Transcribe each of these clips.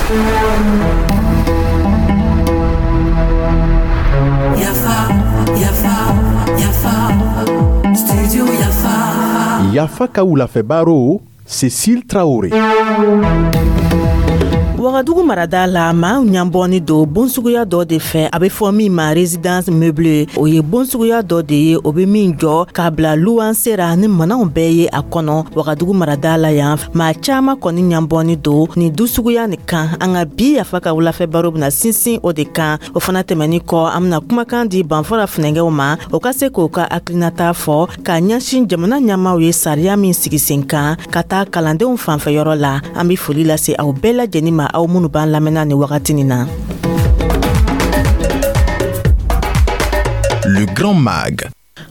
Yafa, Yafa, Yafa, Studio Yafa. Yafa ka wulafɛ baro, Cécile Traoré. Wagadugu marada la, maaw ɲabɔni don bon suguya dɔ de fɛ, a bɛ fɔ min ma résidence meublée. O ye bon suguya dɔ de ye, o bɛ min jɔ k'a bila luwanse ra ni mananw bɛɛ ye a kɔnɔ. Wagadugu marada la yan, maa caaman kɔni ɲabɔni don nin du suguya nin kan. An ka bi Yafa ka wulafɛ baro bɛna sinsin o de kan. O fana tɛmɛni kɔ, an bɛna kumakan di Banfora funɛgɛw ma, o ka se k'o ka hakilinata fɔ k'a ɲɛsin jamana ɲɛmaaw ye sariya min sigi sen kan ka taa kalandenw fanfɛyɔrɔ la. An bɛ foli lase aw bɛɛ lajɛlen ma, aw minnu b'an lamɛnna nin wagati nin na. Le Grand Mag.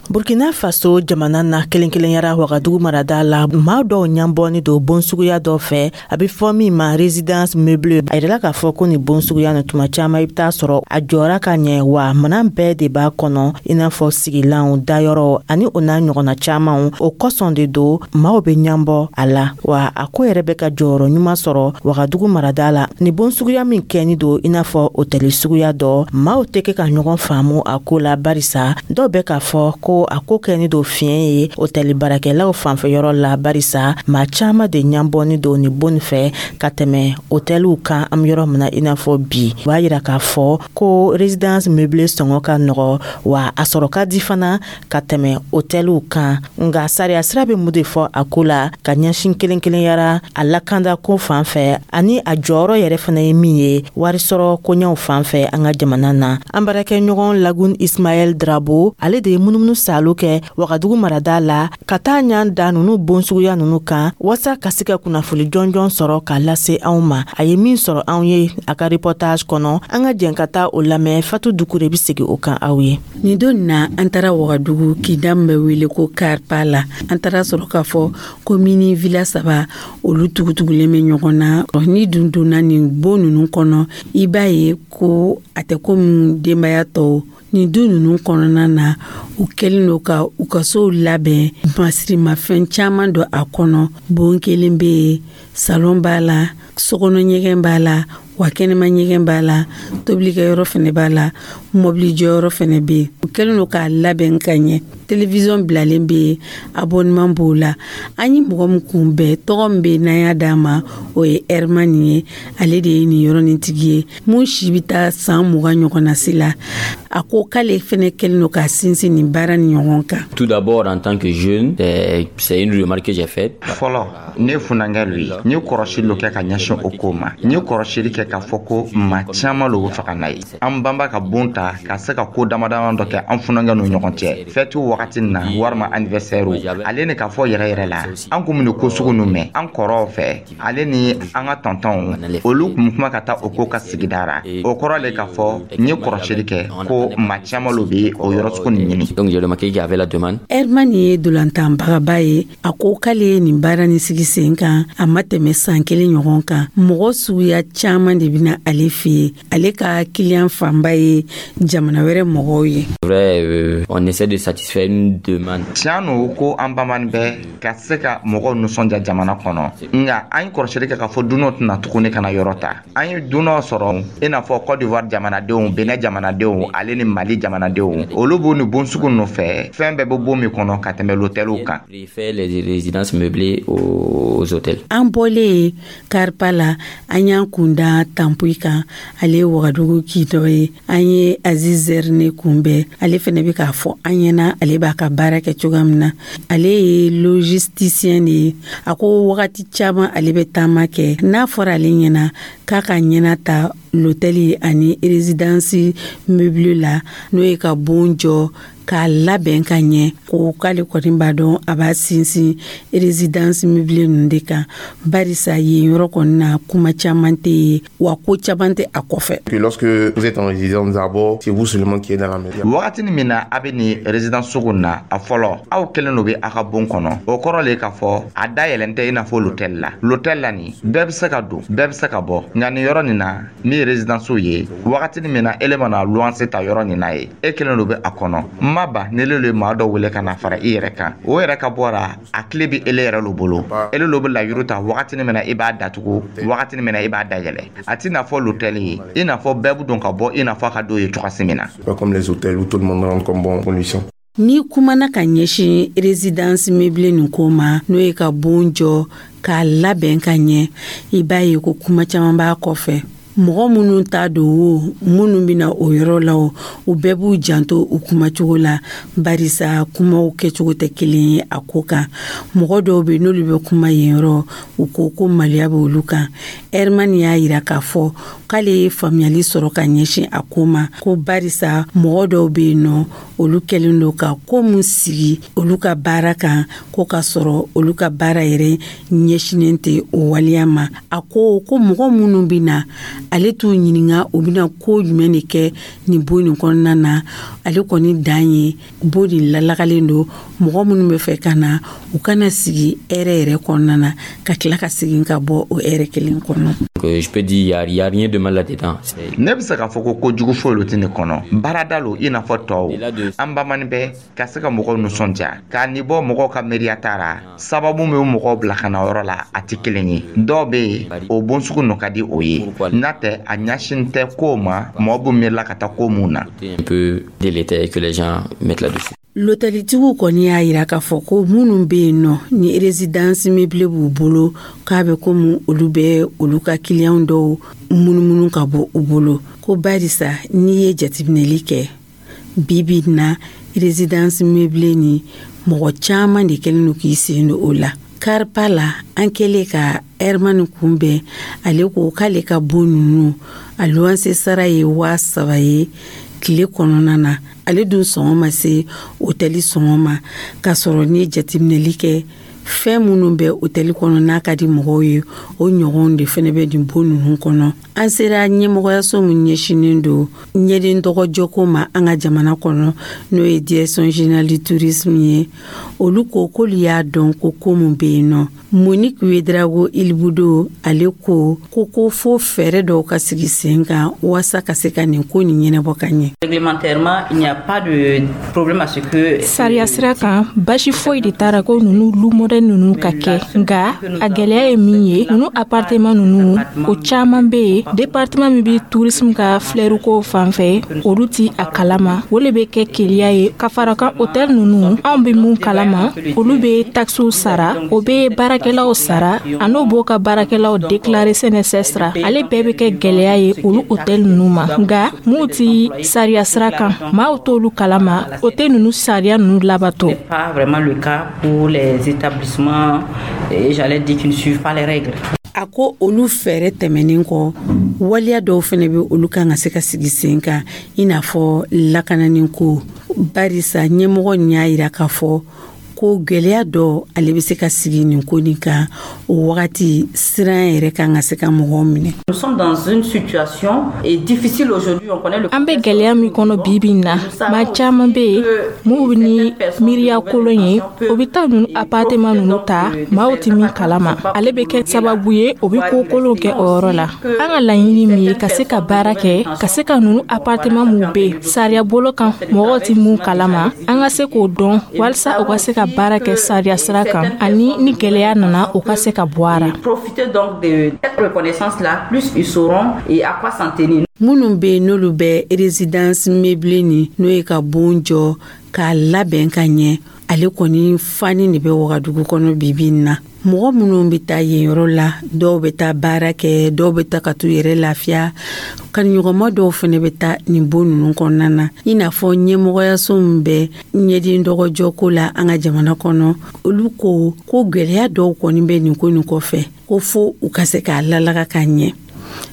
Burkina Faso jamana na, kelen kelenyara Wagadugu marada la, maa dɔw ɲabɔni don bon suguya dɔ fɛ, a bɛ fɔ min ma résidence meublée. A yirala k'a fɔ ko nin bon suguya nin, tuma caman i bɛ taa sɔrɔ a jɔra ka ɲɛ, wa minan bɛɛ de b'a kɔnɔ, i n'a fɔ sigilanw, dayɔrɔ ani o n'a ɲɔgɔnna camanw. O kosɔn de don maaw bɛ ɲabɔ a la, wa a ko yɛrɛ bɛ ka jɔyɔrɔ ɲuman sɔrɔ Wagadugu marada la. Nin bon suguya min kɛni don i n'a fɔ otɛli suguya dɔ, maaw tɛ kɛ ka ɲɔgɔn faamu a ko la, barisa dɔw bɛ k'a fɔ ko a ko kɛni don fiɲɛ ye otɛli baarakɛlaw fanfɛyɔrɔ la, barisa maa caman de ɲabɔni don nin bon fɛ ka tɛmɛ otɛliw kan. An bɛ yɔrɔ min na i n'a fɔ bi, o b'a yira k'a fɔ ko résidence meublée sɔngɔ ka nɔgɔ, wa a sɔrɔ ka di fana ka tɛmɛ otɛliw kan. Nka sariya sira bɛ mun de fɔ a ko la ka ɲɛsin kelen kelenyara a lakanda ko fan fɛ, ani a jɔyɔrɔ yɛrɛ fana ye min ye warisɔrɔ koɲɛw fan fɛ an ka jamana na? An baarakɛɲɔgɔn Lagun Ismaɛl Drabo, ale de ye munumunu salo kɛ Wagadugu marada la ka taa ɲan da nunu bon suguya nunu kan, waasa ka se ka kunnafoli jɔnjɔn sɔrɔ k'a lase anw ma. A ye min sɔrɔ anw ye a ka reportage kɔnɔ, an ka jɛn ka taa o lamɛn. Fatu Dukure bɛ segin o kan aw ye. Nin don na, an taara Wagadugu kinda min bɛ wele ko Karpa la. An taara sɔrɔ k'a fɔ ko mini villa saba, olu tugutugulen bɛ ɲɔgɔn na. Ni dun donna nin bon ninnu kɔnɔ, i b'a ye ko a tɛ komi denbaya tɔw. Nin du ninnu kɔnɔna na, u kɛlen don ka u ka sow labɛn, masirimafɛn caman don a kɔnɔ. Bon kelen bɛ yen, salon b'a la, sokɔnɔ ɲɛgɛn b'a la, wa kɛnɛma ɲɛgɛn b'a la, tobilikɛyɔrɔ fɛnɛ b'a la, mɔbili jɔyɔrɔ fɛnɛ bɛ yen. U kɛlen don k'a labɛn ka ɲɛ, télévision bilalen bɛ yen, abonnement b'o la. An ye mɔgɔ min kunbɛn, tɔgɔ min bɛ yen n'an y'a d'a ma, o ye Herman ye. Ale de ye nin yɔrɔ nin tigi ye, mun si bɛ taa san 20 ɲɔgɔnna si la. A ko k'ale fɛnɛ kɛlen don k'a sinsin nin baara ni ɲɔgɔn kan. Tout d'abord, en tant que jeune, c'est une remarque que j'ai faite. Fɔlɔ, ne funankɛ lo ye, n ye kɔrɔsili lo kɛ ka ɲɛsin o ko ma. N ye kɔrɔsili kɛ k'a fɔ ko maa caman lo bɛ fɛ ka na ye. An banba ka bon ta ka se ka ko dama dama dɔ kɛ an funankɛ n'u ɲɔgɔn cɛ, fɛtiw wagati na walima anniversaire. Ale ni k'a fɔ yɛrɛ yɛrɛ la, an kun bɛ ko sugu ninnu mɛn an kɔrɔw fɛ, ale ni an ka tɔntɔnw, olu kun kuma ka taa o ko ka sigida ra. O kɔrɔ le k'a fɔ n ye kɔrɔsili kɛ ko maa caman lo bɛ o yɔrɔ sugu nin ɲini. Donc j'ai remarqué qu'il y avait la demande. Herman ye dolantanbagaba ye. A ko k'ale ye nin baara nin sigi sen kan, a ma tɛmɛ san kelen ɲɔgɔn kan. Mɔgɔ suguya caman de bɛna ale fɛ yen. Ale ka kiliyan fanba ye jamana wɛrɛ mɔgɔw ye. Vrai, on essaie de satisfaire une demande. Tiɲɛ no ko an bamani bɛ ka se ka mɔgɔw nisɔndiya jamana kɔnɔ, nka an ye kɔrɔsili kɛ k'a fɔ dunanw tɛna tuguni ka na yɔrɔ ta. An ye dunanw sɔrɔ, i n'a fɔ Côte d'Ivoire jamanadenw, Benin jamanadenw, ale ni Mali jamanadenw. Olu b'u ni bon sugu nɔfɛ, fɛn bɛɛ bɛ bon min kɔnɔ, ka tɛmɛ l'hôteliw kan. Préfère les résidences meublées aux hôtels. An bɔlen Karipa la, an y'an kun da Tanpuyi kan. Ale ye Wagadugu kin dɔ ye. An ye Aziz Zerne kunbɛn. Ale fɛnɛ bɛ k'a fɔ an ɲɛna ale b'a ka baara kɛ cogoya min na. Ale ye logisticien de ye. A ko wagati caman ale bɛ taama kɛ. N'a fɔra ale ɲɛna k'a ka ɲɛna ta l'hôtel ani résidence meublée la, n'o ye ka bon jɔ k'a labɛn ka ɲɛ, ko k'ale kɔni b'a dɔn a b'a sinsin résidence meublée ninnu de kan, barisa yen yɔrɔ kɔni na, kuma caman tɛ yen, wa ko caman tɛ a kɔfɛ. Que lorsque vous êtes en résidence d'abord, c'est vous seulement qui êtes dans la maison. Wagati min na a bɛ nin résidence sugu na, a fɔlɔ, aw kelen do bɛ aw ka bon kɔnɔ. O kɔrɔ le k'a fɔ a dayɛlɛn tɛ i n'a fɔ l'hôtel la. L'hôtel la nin, bɛɛ bɛ se ka don, bɛɛ bɛ se ka bɔ. Nka nin yɔrɔ nin na, min ye résidence ye, wagati min na ele mana luwanse ta yɔrɔ nin na ye, e kelen do bɛ a kɔnɔ. Ma ban n'ele le ye maa dɔ wele ka na fara i yɛrɛ kan, o yɛrɛ ka bɔra, a tile bɛ ele yɛrɛ lo bolo. Ele lo bɛ layiru ta wagatini min na i b'a datugu, wagatini min na i b'a dayɛlɛ. A t'i n'a fɔ l'hôtel ye, i n'a fɔ bɛɛ bɛ don ka bɔ i n'a fɔ a ka d'o ye cogoya min na. Pas comme les hôtels où tout le monde rentre comme bon condition. Ni kumana ka ɲɛsin résidence meublée nin ko ma, n'o ye ka bon jɔ k'a labɛn ka ɲɛ, i b'a ye ko kuma caman b'a kɔfɛ. Mɔgɔ minnu t'a don o, minnu bɛna o yɔrɔ la o, u bɛɛ b'u janto u kumacogo la, barisa kumaw kɛcogo tɛ kelen ye a ko kan. Mɔgɔ dɔw bɛ, n'olu bɛ kuma yen yɔrɔ, u ko ko maloya bɛ olu kan. Herman y'a yira k'a fɔ k'ale ye faamuyali sɔrɔ ka ɲɛsin a ko ma, ko barisa mɔgɔ dɔw bɛ yen nɔ, olu kɛlen don ka ko mun sigi olu ka baara kan, ko ka sɔrɔ olu ka baara yɛrɛ ɲɛsinnen tɛ o waleya ma. A ko ko mɔgɔ minnu bɛ na, ale t'u ɲininka u bɛna ko jumɛn de kɛ nin bon nin kɔnɔna na. Ale kɔni dan ye bon nin lalagalen don, mɔgɔ minnu bɛ fɛ ka na, u kana sigi hɛrɛ yɛrɛ kɔnɔna na, ka tila ka segin ka bɔ o hɛrɛ kelen kɔnɔ. Je peux dire, il y a rien de mal là-dedans. Ne bɛ se k'a fɔ ko kojugu foyi lo tɛ nin kɔnɔ. Baarada lo i n'a fɔ tɔw. An bamani bɛ ka se ka mɔgɔw nisɔndiya k'a nin bɔ mɔgɔw ka miiriya ta la. Sababu min bɛ mɔgɔw bila ka na yɔrɔ la, a tɛ kelen ye. Dɔw bɛ yen, o bon sugu nɔ ka di o ye. N'a tɛ, a ɲɛsin tɛ kow ma, mɔgɔ bɛ miirila ka taa ko mun na. Un peu délétère que les gens mettent là-dessus. Lotɛlitigiw kɔni y'a yira k'a fɔ ko minnu bɛ yen nɔ ni résidence meublée b'u bolo, k'a bɛ komi olu bɛ olu ka kiliyanw dɔw munumunu ka bɔ u bolo, ko barisa n'i ye jateminɛli kɛ bi bi in na, résidence meublée ni mɔgɔ caman de kɛlen don k'i sen don o la. Karipa la, an kɛlen ka Herman kunbɛn, ale ko k'ale ka bon ninnu, a luwanse sara ye 3000 ye tile kɔnɔna na. Ale dun sɔngɔ ma se otɛli sɔngɔ ma, k'a sɔrɔ n'i ye jateminɛli kɛ, fɛn minnu bɛ otɛli kɔnɔ n'a ka di mɔgɔw ye, o ɲɔgɔnw de fɛnɛ bɛ nin bon ninnu kɔnɔ. An sera ɲɛmɔgɔyaso min ɲɛsinnen don ɲɛden tɔgɔjɔko ma an ka jamana kɔnɔ, n'o ye Direction générale du tourisme ye, olu ko k'olu y'a dɔn ko ko mun bɛ yen nɔ. Monique Ouédraogo Ilboudo, ale ko ko fo fɛɛrɛ dɔw ka sigi sen kan waasa ka se ka nin ko nin ɲɛnabɔ ka ɲɛ. Réglementairement, il n'y a pas de problème à ce que Sariya sira kan, basi foyi de taara ko nunu lu modèle nunu ka kɛ. Nga a gwɛlɛya ye min ye, nunu appartement nunu, o caaman be yen, département min be tourisme ka filɛriko fan fɛ, olu ti a kalama. O le be kɛ keliya ye. Ka fara kan, hôtel nunu, anw be mun kalama, olu be taxew sara, o be baarakɛlaw sara, a n'o b'o ka baarakɛlaw déclarer CNSS ra. Ale bɛɛ be kɛ gwɛlɛya ye olu hôtel nunu ma. Nga m'u ti sariya sira kan, maaw t'olu kalama, o tɛ nunu sariya nunu labato. Pas vraiment le cas pour les établissements, et j'allais dire, qui ne suivent pas les règles. A ko olu fɛɛrɛ tɛmɛnen kɔ, waleya dɔw fɛnɛ bɛ, olu kan ka se ka sigi sen kan, i n'a fɔ lakanani ko, barisa ɲɛmɔgɔ nin y'a yira k'a fɔ ko gwɛlɛya dɔ ale bɛ se ka sigi nin ko nin kan. O wagati siran yɛrɛ kan ka se ka mɔgɔw minɛ. Nous sommes dans une situation et difficile aujourd'hui, on connaît le An bɛ gwɛlɛya min kɔnɔ bi bi in na, maa caaman be yen minw ni miiriya kolon ye, o be taa nunu appartement nunu ta, maaw tɛ min kalama. Ale be kɛ sababu ye, o be ko kolon kɛ o yɔrɔ la. An ka laɲini min ye ka se ka baara kɛ, ka se ka nunu appartement minw be yen sariya bolo kan, mɔgɔw tɛ mun kalama, an ka se k'o dɔn walisa u ka se ka baara kɛ sariya sira kan, ani ni gwɛlɛya nana, u ka se ka bɔ a ra. Profiter donc de cette reconnaissance là, plus ils sauront et à quoi s'en tenir. Minnu bɛ yen n'olu bɛ résidence meublée ni, n'o ye ka bon jɔ k'a labɛn ka ɲɛ, ale kɔni fani de bɛ Wagadugu kɔnɔ bibi in na. Mɔgɔ minnu bɛ taa yen yɔrɔ la, dɔw bɛ taa baara kɛ, dɔw bɛ taa ka t'u yɛrɛ lafiya, kanuɲɔgɔnma dɔw fɛnɛ bɛ taa nin bon ninnu kɔnɔna na. I n'a fɔ ɲɛmɔgɔyaso min bɛ ɲɛden dɔgɔjɔko la an ka jamana kɔnɔ, olu ko ko gwɛlɛya dɔw kɔni bɛ nin ko nin kɔfɛ, ko fo u ka se k'a lalaga ka ɲɛ.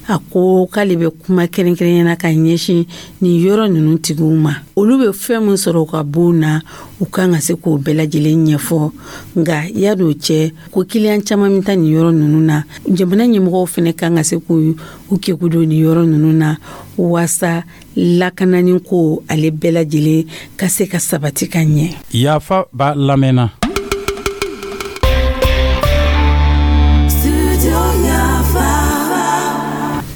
A ko k'ale bɛ kuma kɛrɛnkɛrɛnyana ka ɲɛsin nin yɔrɔ ninnu tigiw ma. Olu bɛ fɛn min sɔrɔ u ka bon na, u kan ka se k'o bɛɛ lajɛlen ɲɛfɔ. Nka yan'o cɛ, ko kiliyan caman bɛ taa nin yɔrɔ ninnu na, jamana ɲɛmɔgɔw fɛnɛ kan ka se k'u u keku don nin yɔrɔ ninnu na waasa lakanani ko ale bɛɛ lajɛlen ka se ka sabati ka ɲɛ. Yafa b'a lamɛnna. Studio Yafa.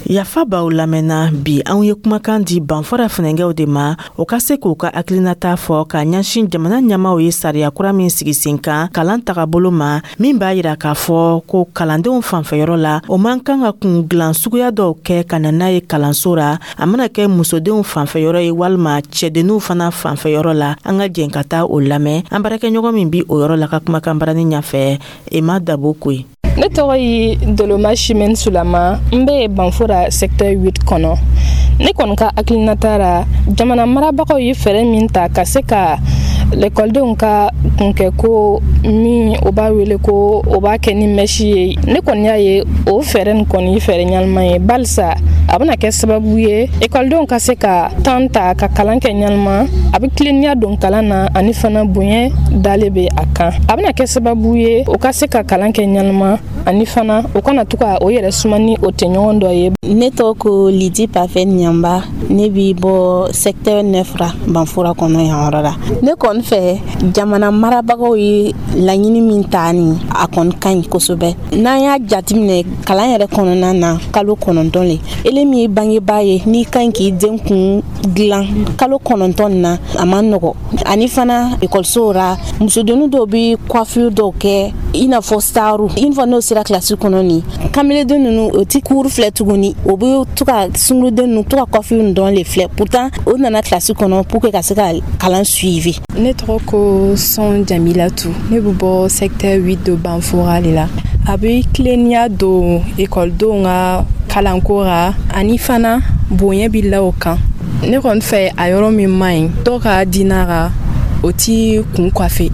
Yafa b'aw lamɛnna. Bi, anw ye kumakan di Banfora funɛnkɛw de ma, o ka se k'u ka hakilinata fɔ k'a ɲɛsin jamana ɲɛmaw ye sariya kura min sigi sen kan kalan tagabolo ma, min b'a yira k'a fɔ ko kalandenw fanfɛyɔrɔ la, o man kan ka kun gilan suguya dɔw kɛ ka na n'a ye kalanso ra, a mana kɛ musodenw fanfɛyɔrɔ ye walima cɛdenninw fana fanfɛyɔrɔ la. An ka jɛn ka taa o lamɛn an baarakɛɲɔgɔn min bi o yɔrɔ la ka kumakan barani ɲɛfɛ, Ema Dabo Koyi. Ne tɔgɔ ye Doloma Simɛn Sulama. N bɛ Banfora secteur 8 kɔnɔ. Ne kɔni ka hakilinata ra, jamana marabagaw ye fɛɛrɛ min ta ka se ka lɛkɔlidenw ka kunkɛ ko min o b'a wele ko o b'a kɛ ni mèche ye, ne kɔni y'a ye o fɛɛrɛ nin kɔni ye fɛɛrɛ ɲɛnama ye, barisa a bɛna kɛ sababu ye ekɔlidenw ka se ka temps ta ka kalan kɛ ɲɛnama. A bɛ tilennenya don kalan na, ani fana bonya dalen bɛ a kan. A bɛna kɛ sababu ye o ka se ka kalan kɛ ɲɛnama, ani fana o kana to ka o yɛrɛ suma ni o tɛɲɔgɔn dɔ ye. Ne tɔgɔ ko Lidi Pafɛ Ɲanba. Ne bi bɔ secteur 9 ra, Banfora kɔnɔ yan yɔrɔ la. Ne kɔni fɛ, jamana marabagaw ye laɲini min ta nin, a kɔni ka ɲi kosɛbɛ. N'an y'a jateminɛ kalan yɛrɛ kɔnɔna na, kalo 9 le, ele min ye bangebaa ye, n'i ka ɲi k'i den kun dilan kalo 9 nin na, a man nɔgɔ. Ani fana ekɔlisow ra, musodennin dɔw bi coiffure dɔw kɛ i n'a fɔ staru. Une fois n'o sera kilasi kɔnɔ, nin kameleden ninnu, o ti cours filɛ tuguni, o bɛ to ka sunguruden ninnu, to ka coiffure ninnu dɔrɔn le filɛ. Pourtant o nana kilasi kɔnɔ pour que ka se ka kalan suivi. Ne tɔgɔ ko Sɔn Jamilatu. Ne bɛ bɔ secteur 8 de Banfora de la. A bɛ tilennenya don ekɔlidenw ka kalanko ra, ani fana bonya bɛ la o kan. Ne kɔni fɛ, a yɔrɔ min man ɲi, dɔw ka diina ra, o ti kun coiffer.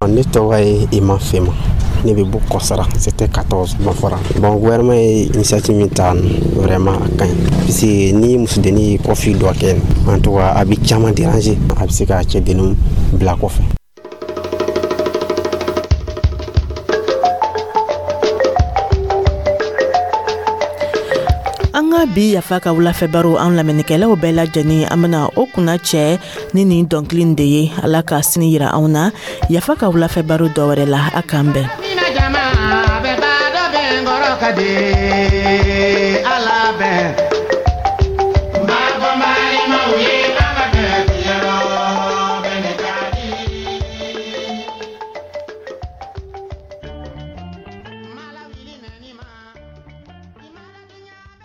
Ne tɔgɔ ye Ima Fema. Ne bɛ bɔ Kɔsara, secteur 14, Banfora. Bon, gouvernement ye initiative min ta, vraiment a ka ɲi, puisque ni musodennin ye coiffure dɔ kɛ, en tout cas a bɛ caman déranger, a bɛ se ka cɛdenninw bila kɔfɛ. An ka bi Yafa ka wulafɛ baro, an lamɛnnikɛlaw bɛɛ lajɛlen, an bena o kunna cɛ ni nin dɔnkili de ye. Ala ka sini yira anw na Yafa ka wulafɛ baro dɔ wɛrɛ la. A k'an bɛn. Ka di.